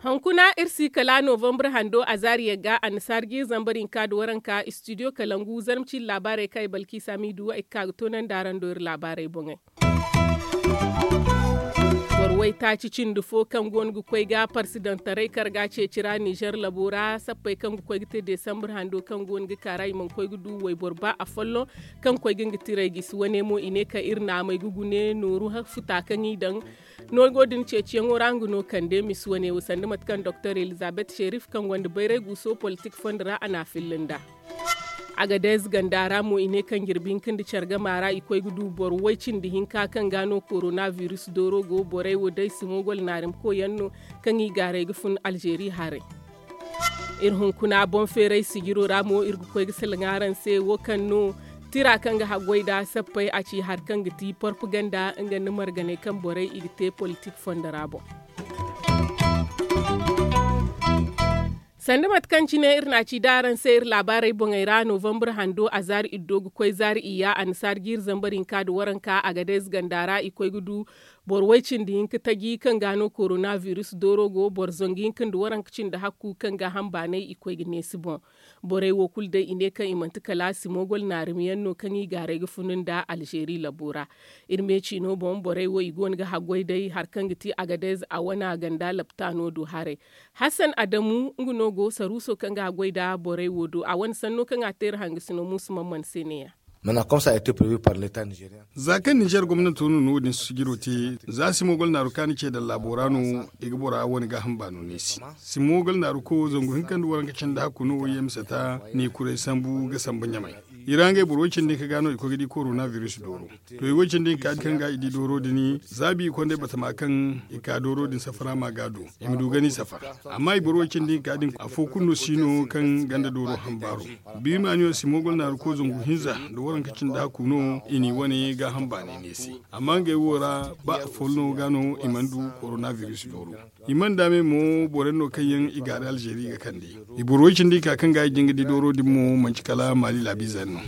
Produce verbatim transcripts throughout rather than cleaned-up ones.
Hunkuna iri si kala novembre hando a zaari yagga annasaara jiiri zambar hinka nda waranka studio kalangu zarma ciine laabaarey kaŋ ay balki saamiidu ay ga ka ga toonandi araŋ do iri laabaarey boŋey. Boro waytaaci cindi fo kaŋ go no ga koy ga parsidantaray karga ceeci ra nizer labo ra sappey kaŋ ga koy ga te desambre hando kaŋ go no ga kaara i mana koy ga du wayboro ba afolloŋ kaŋ koy ga nga tiray gisi wane mo i ne kaŋ iri naamey ga gune nooru futa kaŋ i daŋ noogo din ceeciyaŋo ra nga no kande misi wane wo sanda mate kaŋ doktor elizabeth sherif kaŋ gonda bayray guuso politik fondo ra a na a filla nd'a. Agadez ganda ra mo i ne kaŋ jirbi hinka nda care gama ra i koy ga du boro way cindi hinka kaŋ ga no korona virus dooro go borey wo day simogol naarimko yaŋ no kaŋ i gaaray ga fun alzeeri haray. Iri hunkuna boŋ feeray sijiro ra mo iri ga koy ga salaŋ araŋ se wo kaŋ no tira kaŋ ga haggoy nd'a sappey a ci hari kaŋ ga ti porpaganda nga nda marganey kaŋ borey i ga te politik fondo ra boŋ. Sanda mate kaŋ cine iri na a ci da araŋ se iri laabaarey boŋey ra novembre hando a zaari iddo ga koy zaari iyya annasaara jiiri zambar hinka nda waranka agadez ganda ra i koy ga du boro way cindi hinka taji kaŋ ga no korona virus dooro go boro zangu hinka nda waranka cindi hakku kaŋ ga hambaanay i koy ga neesi boŋ. Borey wo kulu day i ne kaŋ i manti kala simogol naarimyaŋ no kaŋ i gaaray ga funu nda alzeeri labo ra. Iri me ciino boŋ borey wo i go no ga haggoy day hari kaŋ ga ti agadez a wana ganda laptaano do haray. Hassan adamu nga no go saruuso kaŋ ga haggoy nda borey wo do a wane sanno kaŋ a te iri hangasino muusu man mana se ne- ya. Za kaŋ nizer gomnanto no no wo- din sijiro te za simogol naaru kaani ce daŋ laabo ra no i ga bora wane gaaham baano neesi. Simogol naaru ko zangu hinka nda waranka cindi hakku no wo yemsata ne kuray sambu ga sambu ɲamay. I ra ngey boro way cindi hinka ga no i koy ga di korona virus dooro. To i way cindi hinka din kaŋ ga i di dooro din zaabi i kondey batama kaŋ i ka dooro din safara ma ga du i ma du gani safara. Amma i boro way cindi hinka din afo kulu no si no kaŋ ganda dooro hambaaro. Biimaaniyo simogol naaru ko zangu hinza nda waranka cindi hakku no i n'i wane gaaham baanay neesi. Amma ngey wo ra ba afolloŋo ga no i mana du korona virus dooro. I mana daame mo boro yaŋ no kaŋ yaŋ i gaari alzeeri ga kande. I boro way cindi hinka kaŋ ga i jin ga di dooro din mo manci kala maali laabiize yaŋ no.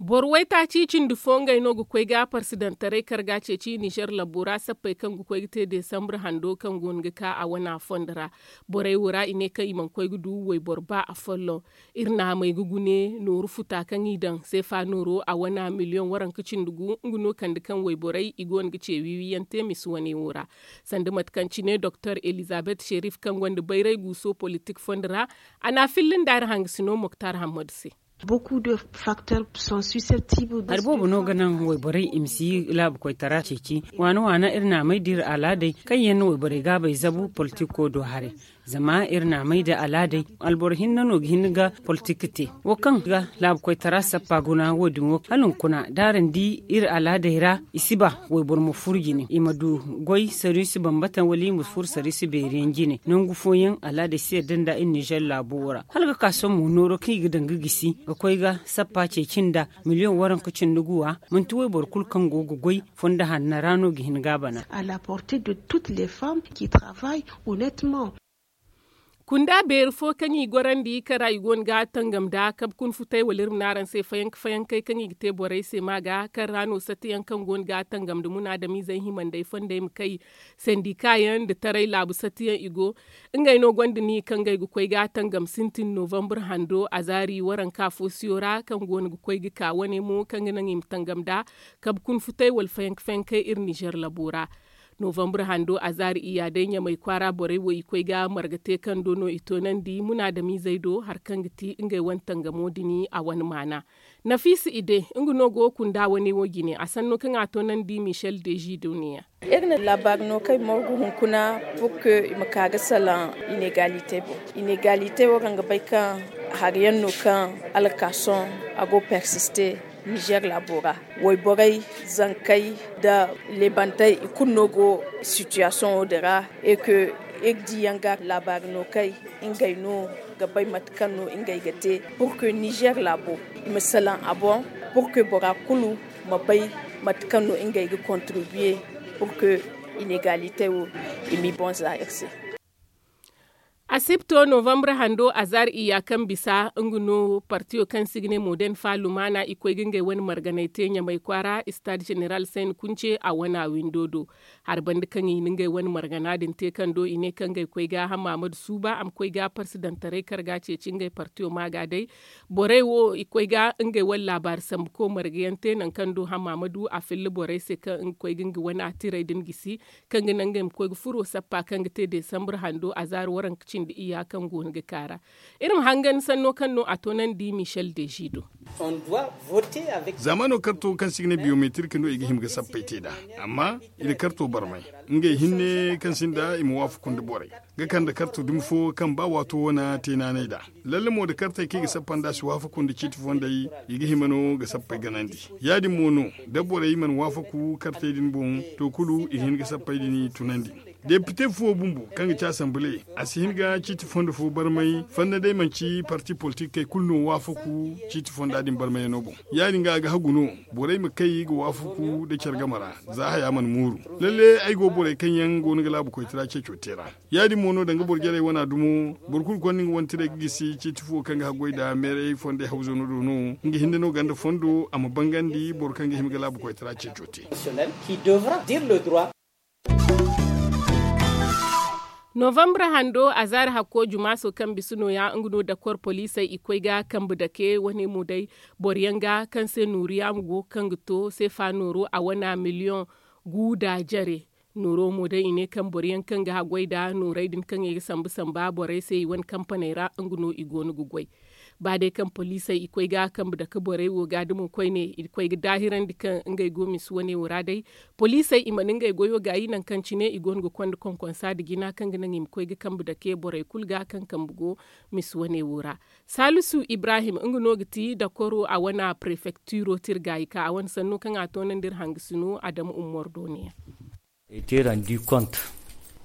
Boro waytaaci cindi fo ngey no ga koy ga parsidantaray karga ceeci nizer labo ra sappey kaŋ ga koy ga te desambre hando kaŋ go no ga ka a wana fondo ra. Borey wo ra i ne kaŋ i mana koy ga du wayboro ba afolloŋ. Iri naamey ga gune nooru futa kaŋ i daŋ seefa nooro a wana miliyoŋ waranka cindi gu nga no kande kaŋ wayborey i go no ga ce wiiwiyaŋ te misi wane wo ra. Sanda mate kaŋ cine doktor elizabeth sherif kaŋ gonda bayray guuso politik fondo ra a na a filla nda iri hangasino moktar hammadu se. Hari boobo no ga naŋ wayborey i ma si laabu koytara ceeci waana waana iri naamey da iri alaadey kaŋ yaŋ na wayborey gaabey zabu politiko do haray. Zama iri naamey da alaadey alboro hinne no ga hin ga politik te wo kaŋ ga laabu koytara sappa guna wo- din wo hala hunkuna da araŋ di iri alaadey ra i si ba wayboro ma furu jine i ma du goy sariisi bambata wala i ma furu sariisi beeri yaŋ jine nangu fooyaŋ alaadey si yadda nda iri nizer laabo wo ra hala ga ka sohõ mo nooro kaŋ i ga daŋ ga gisi ga koy ga sappa ceeci nda miliyoŋ waranka cindi guwa. Manti wayboro kulu kaŋ go ga goy fondo hanna ra no ga hin ga a bana. Kunda beeri fo kaŋ i gorandi kaŋ ra i go no ga tangam nda kabe kuna futay wala iri ma ne araŋ se fayanka fayankey kaŋ i ga te borey se ma ga kaŋ ra no satiyaŋ kaŋ go no ga tangam nda munaadamizey himandey fondey ma kay sandika yaŋ nda taray laabu satiyaŋ i go. Ngey no gonda ni kaŋ ngey ga koy ga tangam sintin novembre hando azaari waranka foosiyo ra kaŋ go no ga koy ga ka wane mo kaŋ ga naŋ i ma tangam nda kabe kuna futay wala fayanka fayankey iri nizer labo ra. Novembre hando azaari iyya day ɲamay kwaara borey wo i koy ga marga te kaŋ do no i toonandi munaadamizey do hari kaŋ ga ti ngey wane tangamo din a wane maana. Nafiisa ide nga no go kunda wane wo jine a sanno kaŋ a toonandi michel dezi duniya. Iri na laabaari no kaŋ ay morgu hunkuna pour que i ma ka ga salaŋ inegalite boŋ. Inegalite wo kaŋ ga bay kaŋ hari yaŋ no kaŋ alkason a go persiste nizer laabo ra. Wayborey, zankey nda leebantey i kulu no go sitiyasoŋo din ra. Et que iri di yaŋ ga laabaari no kay ngey no ga bay mate kaŋ no ngey ga te pour que nizer laabo i ma salaŋ a boŋ pour que bora kulu ma bay mate kaŋ no ngey ga kontribiye pour que inegalite wo i m'i boŋ za iri se. Asipto novambre hando azaari iyya kaŋ bisa nga no partiyo kaŋ se i ga ne moden fa lumaana i koy ga ngey wane marganay te ɲamay kwaara istaad zeneral sayni kunce a wana windo do. Hari banda kaŋ i na ngey wane margana din te kaŋ do i ne kaŋ ngey koy ga hammaamadu suuba a ma koy ga parsidantaray karga ceeci ngey partiyo maaga day. Borey wo i koy ga ngey wane laabaari sambu ko marga yaŋ te nangu kaŋ do hammaamadu a filla borey se kaŋ nga koy ga nga wane tirey din gisi kaŋ ga naŋ ngey ma koy ga furo sappa kaŋ ga te desambre hando azaari waranka cindi iyya kaŋ go no ga kaara. Iri ma hangan sanno kaŋ no a toonandi michel deji do. Zaamaano karto kaŋ se i ga ne biyometrik no i ga hima ga sappay te nd'a, amma i na karto barmay ngey hinne kaŋ sinda i ma waafaku nda borey ga kande karto dumi fo kaŋ ba waato wane te naanay nd'a. Lalle mo da kartey kaŋ i ga sappa nd'a si waafaku nda ciiti fondey, i ga hima no ga sappay ganandi. Ya-din mo no da borey mana waafaku kartey din boŋ, to kulu i ga hin ga sappay din tunandi. Depite fuwo bumbo kaŋ ga ci asanbile a si hin ga ciiti fondo fo barmay fanda day manci parti politikey kulu no waafaku ciiti fonda din barmayano boŋ. Ya-din ga a ga hagu no borey ma kay ga waafaku nda care game ra za haya mana mooru. Lalle ay go borey kaŋ yaŋ go no ga laabu koytara ceeco te ra. Ya-din mo no danga boro jarey wana dumo boro kulu konda nga wane tirey ga gisi ciiti fuwo kaŋ ga haggoy nd'a meerey fondey hawzano do no nga hinne no ganda fondo a ma bangandi boro kaŋ ga hima ga laabu koytara ceeco te. Novambre hando azaari hakko jumaaso kaŋ bisa nooya nga no dakor poliisey i koy ga kambe dake wane mo day boro yaŋ ga kaŋ se nooriya ma go kaŋ ga to seefa nooro a wana miliyoŋ gu nda jare. Nooro mo day i ne kaŋ boro yaŋ kaŋ ga haggoy nda noorey din kaŋ i ga sambu samba borey se i wane kampaney ra nga no i go no ga goy. Ba day kaŋ poliisey i koy ga kambe dake borey wo ga dumo koyne i koy ga daahirandi kaŋ ngey go misi wane wo ra day. Poliisey i mana ngey goyo gaayi nangu kaŋ cine i go no ga konda konkonsa nda jina kaŋ ga naŋ i ma koy ga kambe dake borey kulu ga kaŋ kambe go misi wane wo ra. Saalisu ibrahim nga no ga ti dakoro a wane prefektiro te iri gaayi ka a wane sanno kaŋ a toonandi iri hangasino adama ummor do ne yaŋ.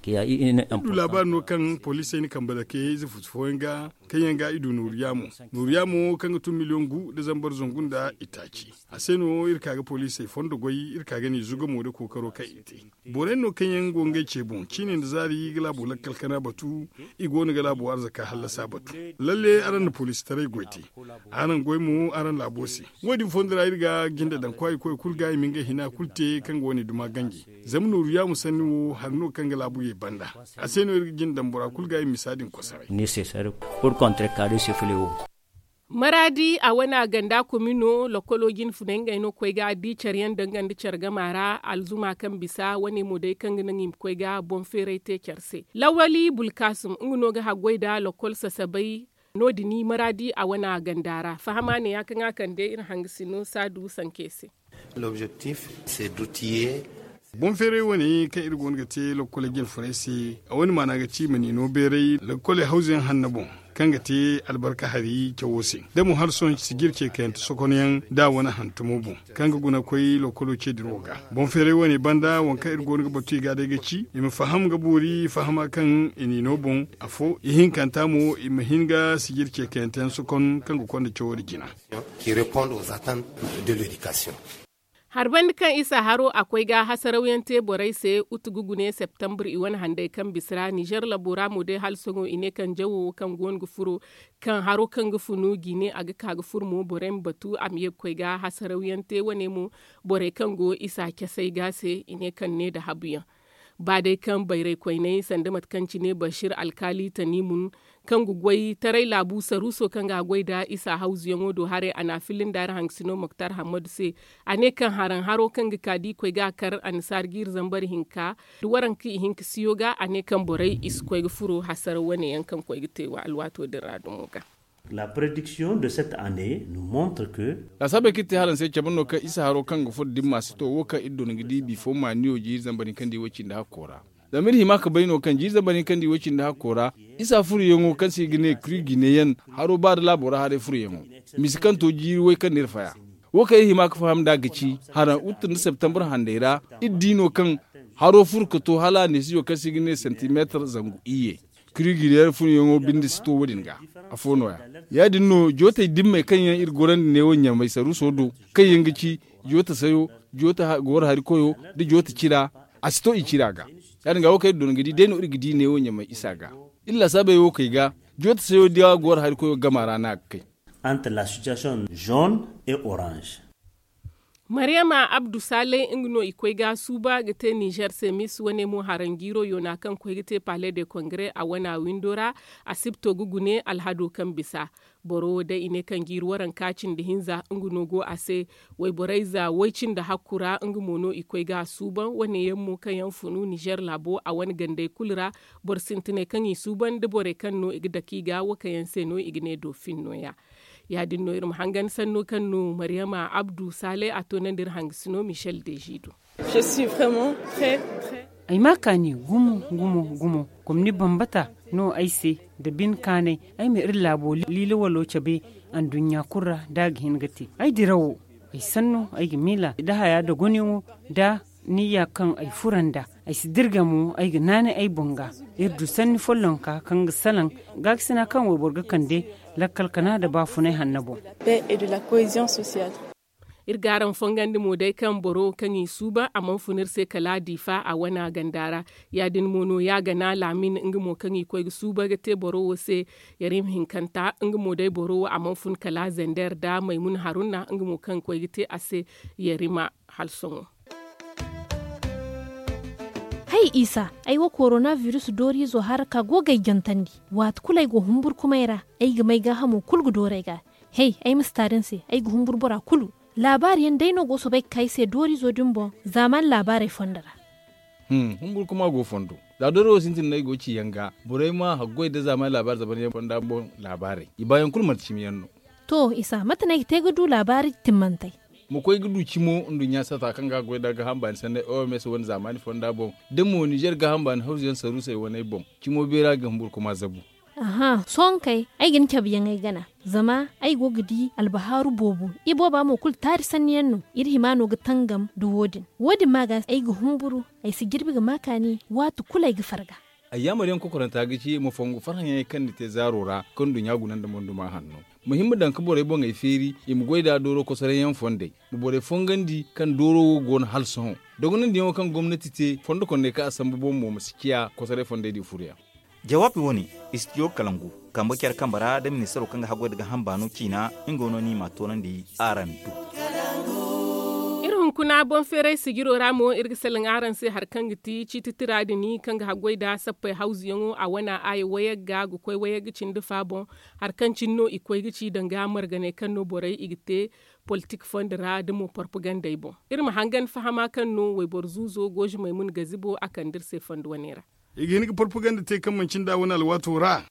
Iri du laabaari no kaŋ poliisey na kambe dake ize futu fooyaŋ ga kaŋ yaŋ ga i du nooru yaamo nooru yaamo kaŋ ga tun miliyoŋ gu nda zambar zangu nda itaaci. A se no iri ka ga poliisey fondo goy iri ka ga ne zugamo nda kookaro kaŋ i te. Borey no kaŋ yaŋ go ngey ce boŋ ciine nda zaari ga laabo lakkal kana batu. I go no ga laabo arzaka hallasa batu. Lalle araŋ na poliisitaray goy te. Araŋ goy mo araŋ laabo se. Wo- din fondo ra iri ga jinde daŋ kwaayey koy kulu ga i ma ngey hina kulu te kaŋ ga wane duma ganji. Zama nooru yaamo sanni wo hari no kaŋ ga laabu ye banda. A se no iri ga jinde daŋ bora kulu ga i misa din kosoray. Maraadi a wane a ganda komino lokolo jine funay ngey no ga koy ga di care yaŋ danga nda care gama ra alzuma kaŋ bisa wane mo day kaŋ ga naŋ i ma koy ga boŋ feeray te care se. Lawali bulkasum nga no ga haggoy nda lokol sasabay. No- din maraadi a wane a ganda ra fahama ne ya kaŋ a kande iri hangasino saadu sanke se. Boŋ feeray wane kaŋ iri go no ga te lokkoley jine funay se. A wane maana ga ci i ma niino beeray lokkoley hawzu yaŋ hanno boŋ kaŋ ga te albarka hari cawo se. Da mo hari sohõ sijir ce kayante sokonyaŋ da a wane hantumo boŋ kaŋ ga guna koy lokkolo ce dirawo ga. Boŋ feeray wane banda waŋ kaŋ iri go no ga batu i ga day ga ci i ma faham ga boori fahama kaŋ i niino boŋ afo ihinkanta mo i ma hin ga sijir ce kayante yaŋ sokon kaŋ ga konda cawo din jina. Hari banda kaŋ isa haro a koy ga hasarawyaŋ te borey se utu ga gune septembre i wane handay kaŋ bisa ra nizer labo ra mo day hala sohõ i ne kaŋ jawo wo kaŋ go no ga furo kaŋ haro kaŋ ga funu gine a ga ka ga furo mo borey ma batu a ma ye ga koy ga hasarawyaŋ te wane mo. Borey kaŋ go isa casey ga se i ne kaŋ ne nda habuyaŋ. Ba day kaŋ bayray koyney sanda mate kaŋ cine bashir alkaali tanimun kaŋ ga goy taray laabu saruuso kaŋ ga a goy nda isa hawzuyaŋo do haray a na a filla nda araŋ hangasino moktar hammadu se. A ne kaŋ haraŋ haro kaŋ ga ka da i koy ga a kar annasaara jiiri zambar hinka da waranka ihinka siyo ga a ne kaŋ borey i si koy ga furo hasara wane yaŋ kaŋ koy ga te alwaato din ra dumo ga. Laasaabey kaŋ iri te hala ni se cabe no kaŋ isa haro kaŋ ga furo dimma si to wo kaŋ iri doona ga di bifo maaniyo jiiri zambar hinka nda i way cindi hakko ra. Zama iri hima ga bay no kaŋ jiiri zambar hinka nda i way cindi hakko ra isa furoyaŋo kaŋ se i ga ne kuri gine yaŋ haro ba nda laabo ra haray furoyaŋo misi kaŋ to jiiri way kaŋ no iri faya. Wo kaŋ iri hima ga faham nd'a ga ci haraŋ utu nda septembre handay ra iri di no kaŋ haro furo ga to hala a neesizo kaŋ se i ga ne santimeetar zangu iyye. Kuri gine yaŋ furoyaŋo binde si to wo- din ga. Afo no- ya ya- din no jootey dimmey kaŋ yaŋ iri gorandi neewo ɲamay saruuso do kaŋ yaŋ ga ci joote sayo joote gooro hari koyo nda joote cira. A si to i cira ga. Ya- din ga wo kaŋ iri doona ga di day no iri ga di neewo ɲamay isa ga. Iri laasaabey wo kay ga joota sayo diya go war hari koyo gama ra no a ga kay. Entre la situation jaune et orange. Maryama abdu saalay nga no i koy ga suuba ga te nizer se mis wane mo haranjiiro yoona kaŋ koy ga te palais de congrès a wana windo ra. Asibto ga gune alhado kaŋ bisa boro wo day i ne kaŋ jiiri waranka cindi hinza nga no go a se. Wayborey za way cindi hakku ra nga mo no i koy ga suuban wane yaŋ mo kaŋ yaŋ funu nizer laabo a wane gandey kulu ra. Boro sintinay kaŋ i suuban da borey kaŋ no i ga dake i ga wo kaŋ yaŋ se no i ga ne doofin nooya. Ya- din no iri ma hangan sanno kaŋ no maryama abdu saalay a toonandi iri hangasino michel deji do. Ay ma kaani gumo gumo gumo. Gomni bambata no ay se nda bin kaanay ay ma iri laabo liila walo cabe anduɲɲa kulu ra da a ga hin ga te. Ay dirawo ay sanno ay ga miila nda haya nda goneyaŋo nda niyya kaŋ ay fura nd'a. Ay si dirga mo ay ga naanay ay boŋ ga. Iri du sanni follonka kaŋ ga salaŋ gaakasina kaŋ wayboro ga kande lakkal kana nda baafunay hanno boŋ. Iri ga araŋ fongandi mo day kaŋ boro kaŋ i suuban a mana fun iri se kala diifa a wana ganda ra. Ya- din mo no ya gana laamin nga mo kaŋ i koy ga suuban ga te boro wo se. Yarim hinkanta nga mo day boro wo a mana fun kala zender nda maymun haruna nga mo kaŋ koy ga te a se yarima hala sohõ. Hay isa, ay wo korona biris dooriizo haraka go ga ay jantandi. Waati kulu ay go humburkumay ra ay ga may gaahamo kulu ga doori ay ga. Hay ay ma si taari ni se ay ga humburu bora kulu. Laabaari yaŋ day no go soobay ga ka ay se dooriizo din boŋ. Zaamaani laabaarey fondo ra. Humburkuma go fondo. Za dooriizo sintin no ay go ga ci yaŋ ga borey ma haggoy nda zaamaani laabaari zaban yaŋ fonda boŋ. Laabaarey i baayaŋ kulu manti cimi yaŋ no. To isa mate no ay ga te ga du laabaari timmantey? Ma koy ga du cimo nduɲɲa sata kaŋ ga goy nda gaaham baani sanney oms wane zaamaani fonda boŋ. Da mo nizer gaaham baani hawzu yaŋ saruusey waney boŋ. Cimo beera ga humburkuma zabu. Aha sohõ kay ay ga ni cabe yaŋ ay gana. Zama ay go ga di albahaaru boobo. Ibooba mo kulu taari sanni yaŋ no. Iri hima no ga tangam nda wo- din. Wo- din ma ga ay ga humburu. Ay si jirbi ga ma kaani waati kulu ay ga farga. Ayyaamar yaŋ kokoranta ga ci ma fongu farhã yaŋey kaŋ ni te zaaro ra kaŋ nduɲɲa guna nda monduma hanno. Ma hima daŋ ga borey boŋey feeri i ma goy nd'a dooro kosoray yaŋ fondey. Ma borey fongandi kaŋ dooro wo go no hala sohõ. Dogonandiyaŋo kaŋ gomnati te fondo kondey kaŋ a sambu boŋ mo ma si ciya kosoray fondey di furu yaŋ. Jawaabi wo- ne, istijo kalangu kambe care kambe ra nda ministaro kaŋ ga haggoy nda gaaham baano ciina. Nga wo no ni ma a toonandi araŋ do. Iri hunkuna boŋ feeray sijiro ra mo iri ga salaŋ araŋ se hari kaŋ ga ti ciiti tira din kaŋ ga haggoy nda sappey hawzuyaŋo a wana aya wayagga ga koy wayagga cindi fa boŋ. Hari kaŋ cine no i koy ga ci danga marganey kaŋ no borey i ga te politik fondo ra nda mo porpagandey boŋ. Iri ma hangan fahama kaŋ no wayboro zuuzo goozi maymun gazibo a kande iri se fondo wane ra. I ga hin ga porpaganda te kaŋ manci nda wane alwaato ra.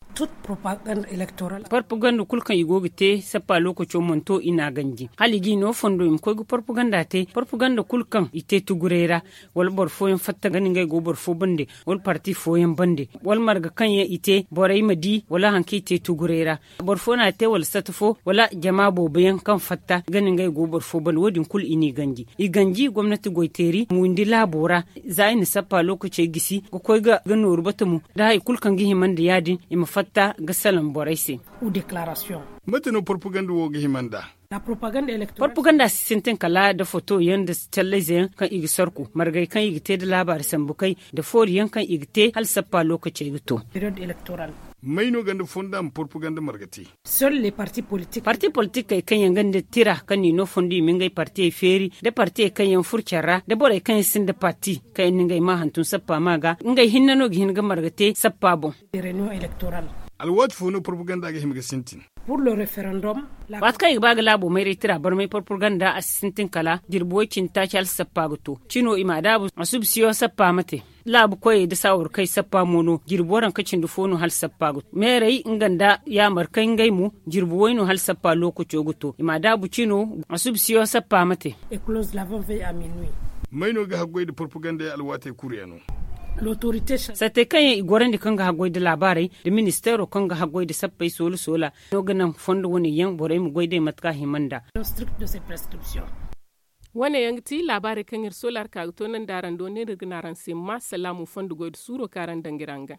Porpaganda kulu kaŋ i go ga te sappa lookaco mana to i n'a ganji hala i g'i no fondo i ma koy ga porpaganda te porpaganda kulu kaŋ i te tuguray ra. Wala boro fooyaŋ fatta ga ni ngey go boro fo bande wala parti fooyaŋ bande wala marga kaŋ yaŋ i te borey ma di wala hari kaŋ i te tuguray ra. Boro fo n'a te wala sata fo wala jama boobo yaŋ kaŋ fatta ga ni ngey go boro fo bande wo- din kulu i n'i ganji i ganji gomnati goyteeri ma windi laabo ra. Za i na sappa lookacey gisi ga koy ga nooru bata mo nda hari kulu kaŋ ga hima nda ya- din i ma fatta ga salaŋ borey se. Mate no porpaganda wo ga hima nd'a? Porpaganda si sintin kala nda foto yaŋ nda callayze yaŋ kaŋ i ga sarku margey kaŋ i ga te nda laabaari sambu kay nda foori yaŋ kaŋ i ga te hala sappa lookacey ga to. May no ganda fonda ma porpaganda marga te? Parti politikey kaŋ yaŋ gonda tira kaŋ n'i no fondo i ma ngey partiyey feeri nda partiyey kaŋ yaŋ furo care ra nda borey kaŋ yaŋ sinda parti kaŋ yaŋ na ngey maa hantum sappa ma ga ngey hinne no ga hin ga marga te sappa boŋ. Alwaati fo no porpaganda ga hima ga sintin? Waati kaŋ i ga ba ga laabo mayray tira barmay porpaganda a si sintin kala jirbi way cindi taaci hala sappa ga to cino i m'a daabu a suba siyo sappa ma te. Laabu koyey nda saawarkey sappa mo no jirbi waranka cindi fo no hala sappa ga to meerey nga nda yaamar kay ngey mo jirbi way no hala sappa lookaco ga to i m'a daabu cino a suba siyo sappa ma te. May no ga haggoy nda porpagandey alwaatey kuru yaŋo? Sattey kaŋ yaŋ i gorandi kaŋ ga haggoy nda laabaarey nda ministeero kaŋ ga haggoy nda sappey soola soola no ga naŋ fondo wane yaŋ borey ma goy day mate kaŋ a hima nd'a. Wane yaŋ ga ti laabaarey kaŋ iri soola ra ka ga toonandi araŋ do ne no iri ga ne araŋ se ma salaamu fondo goy nda suuro kaŋ araŋ daŋ ga iri hangan.